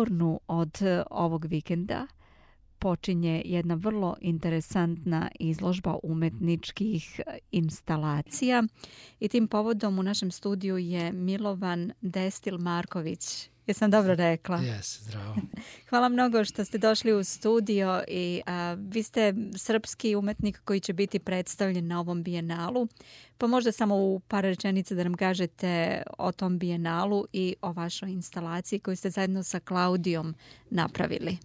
Liburnu od ovog vikenda počinje jedna vrlo interesantna izložba umetničkih instalacija i tim povodom u našem studiju je Milovan Destil Marković. Jesam dobro rekla? Jes, zdravo. Hvala mnogo što ste došli u studio i vi ste srpski umetnik koji će biti predstavljen na ovom bijenalu. Pa možda samo u par rečenica da nam kažete o tom bijenalu i o vašoj instalaciji koju ste zajedno sa Klaudijom napravili.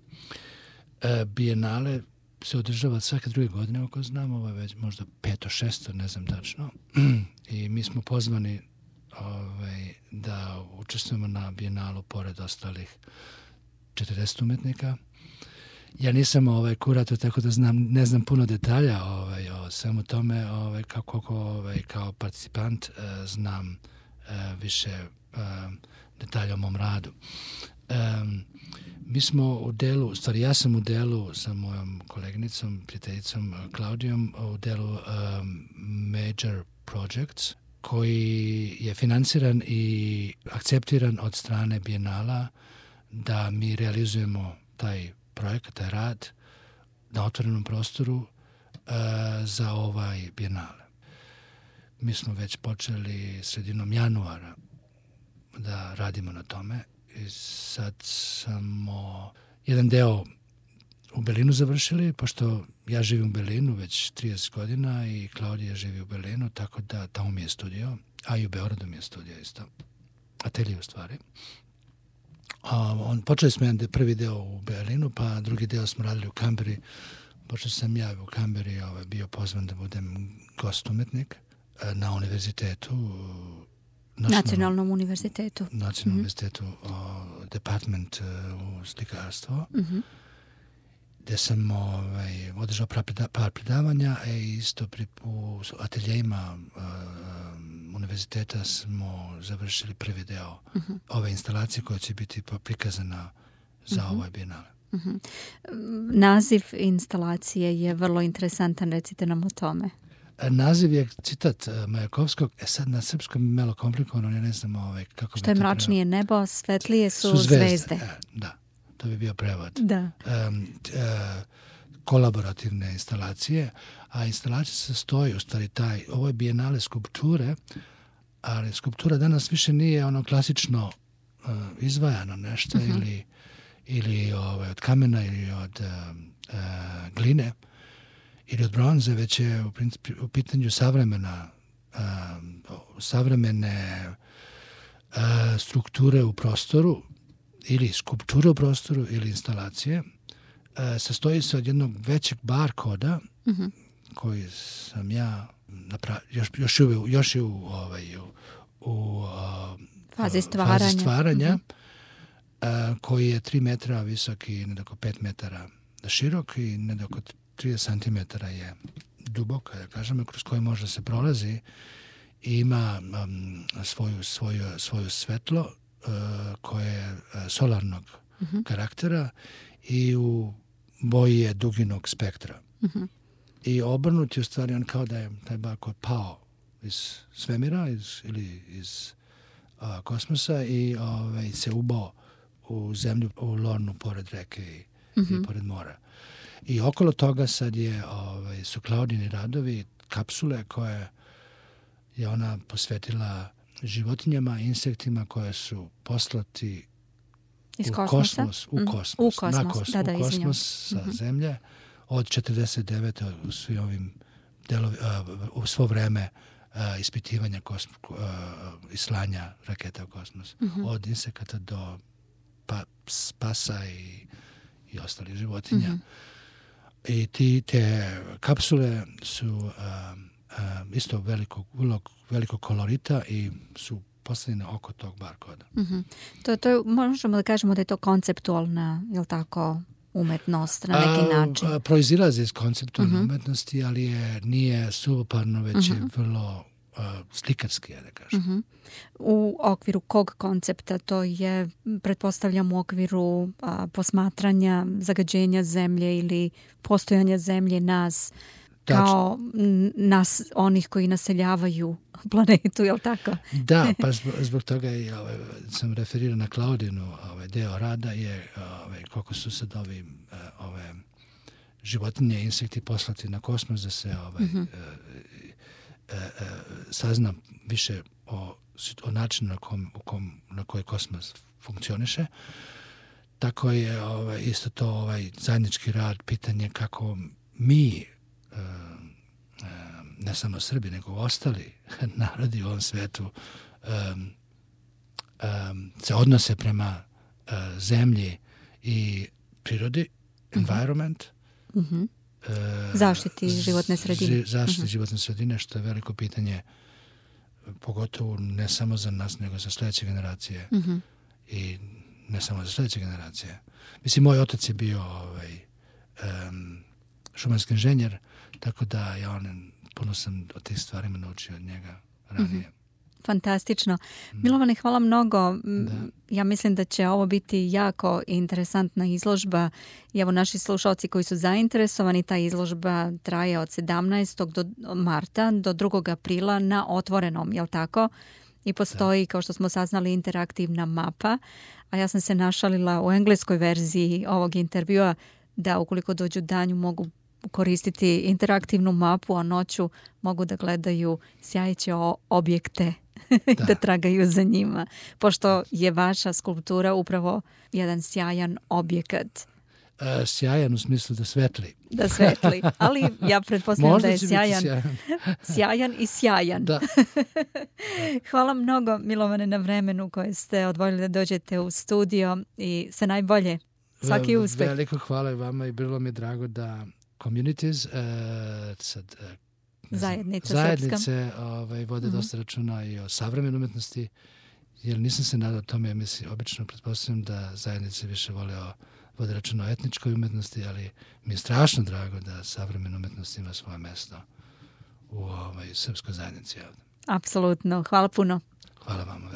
Bijenale se održava svake druge godine, ako znam, ovo je već možda 5. 6. ne znam tačno. I mi smo pozvani da učestvujemo na bijenalu pored ostalih 40 umetnika. Ja nisam kurator, tako da ne znam puno detalja o svemu tome, kako kao participant znam više detalja o mom radu. Mi smo u delu, ja sam u delu sa mojom koleginicom, prijateljicom Klaudijom, u delu Major Projects, koji je financiran i akceptiran od strane bijenala da mi realizujemo taj projekat, taj rad na otvorenom prostoru za ovaj bijenale. Mi smo već počeli sredinom januara da radimo na tome i sad smo jedan deo u Berlinu završili, pošto ja živim u Berlinu već 30 godina i Klaudija živi u Berlinu, tako da tamo mi je studio, a i u Beogradu mi je studio isto. Atelije u stvari. Počeli smo jedan prvi deo u Berlinu, pa drugi deo smo radili u Kamberi. Počeo sam ja u Kamberi bio pozvan da budem gost umetnik na univerzitetu. Nacionalnom univerzitetu. Nacionalnom univerzitetu, department u slikarstvo. Gdje sam održao par predavanja i isto u ateljejima univerziteta smo završili prvi deo ove instalacije koja će biti prikazana za ovaj bijenale. Naziv instalacije je vrlo interesantan, recite nam o tome. Naziv je citat Majakovskog, sad na srpskom je malo komplikovano, ja ne znam kako bi to... Što je mračnije nebo, svetlije su zvezde. Da. To bi bio prevod. Da. Kolaborativne instalacije, a instalacija se stoji, u stvari ovo je bijenale skulpture, ali skulptura danas više nije ono klasično izvajano nešto ili od kamena ili od gline ili od bronze, već je u pitanju savremene strukture u prostoru ili skulpture u prostoru ili instalacije. Sastoji se od jednog većeg barkoda koji sam ja još je u fazi stvaranja koji je 3 metra visok i nedoko 5 metara širok i nedoko 30 cm je dubok, da kažemo, kroz koji može se prolazi i ima svoju svetlo koje je solarnog karaktera i u boji je duginog spektra. I obrnuti u stvari on kao da je taj barkod pao iz svemira ili iz kosmosa i se ubao u zemlju, u Lornu pored reke i pored mora. I okolo toga sad su Klaudini radovi, kapsule koje je ona posvetila životinjama, insektima koje su poslati u kosmos sa zemlje od 49. u svo vreme ispitivanja i slanja raketa u kosmos. Od insekata do pasa i ostalih životinja. I te kapsule su isto veliko kolorita i su postavljene oko tog barkoda. To možemo da kažemo da je to konceptualna, je li tako, umetnost na neki način? Proizilazi iz konceptualne umetnosti, ali nije suvoparno, već je vrlo slikarski, da kažem. U okviru kog koncepta? To je, pretpostavljam, u okviru posmatranja zagađenja zemlje ili postojanja zemlje nas? kao nas, onih koji naseljavaju planetu, je li tako? Da, pa zbog toga i sam referirao na Klaudinu, deo rada je koliko su sad ove životinje, insekti poslati na kosmos da se sazna više o načinu na koji kosmos funkcioniše. Tako je isto to zajednički rad, pitanje kako mi, ne samo Srbi, nego ostali narodi u ovom svetu se odnose prema zemlji i prirodi, environment, zaštiti životne sredine. Zaštiti životne sredine, što je veliko pitanje, pogotovo ne samo za nas, nego za sljedeće generacije. I ne samo za sljedeće generacije. Mislim, moj otac je bio šumarski inženjer, tako da ja puno sam o tih stvarima naučio od njega ranije. Fantastično. Milovane, hvala mnogo. Ja mislim da će ovo biti jako interesantna izložba. I evo naši slušalci koji su zainteresovani, ta izložba traje od 17. marta do 2. aprila na otvorenom, je li tako? I postoji, kao što smo saznali, interaktivna mapa. A ja sam se našalila u engleskoj verziji ovog intervjua da ukoliko dođu danju mogu koristiti interaktivnu mapu, a noću mogu da gledaju sjajeće objekte i da tragaju za njima. Pošto je vaša skulptura upravo jedan sjajan objekat. Sjajan u smislu da svetli. Da svetli, ali ja pretpostavljam da je sjajan i sjajan. Da. Hvala mnogo, Milovane, na vremenu koje ste odvojili da dođete u studio i sve najbolje. Svaki uspeh. Veliko hvala i vama i bilo mi je drago da communities, zajednice vode dosta računa i o savremenoj umetnosti, jer nisam se nadao tome, mislim, obično pretpostavljam da zajednice više vode računa o etničkoj umetnosti, ali mi je strašno drago da savremena umetnost ima svoje mesto u srpskoj zajednici ovdje. Apsolutno. Hvala puno. Hvala vam.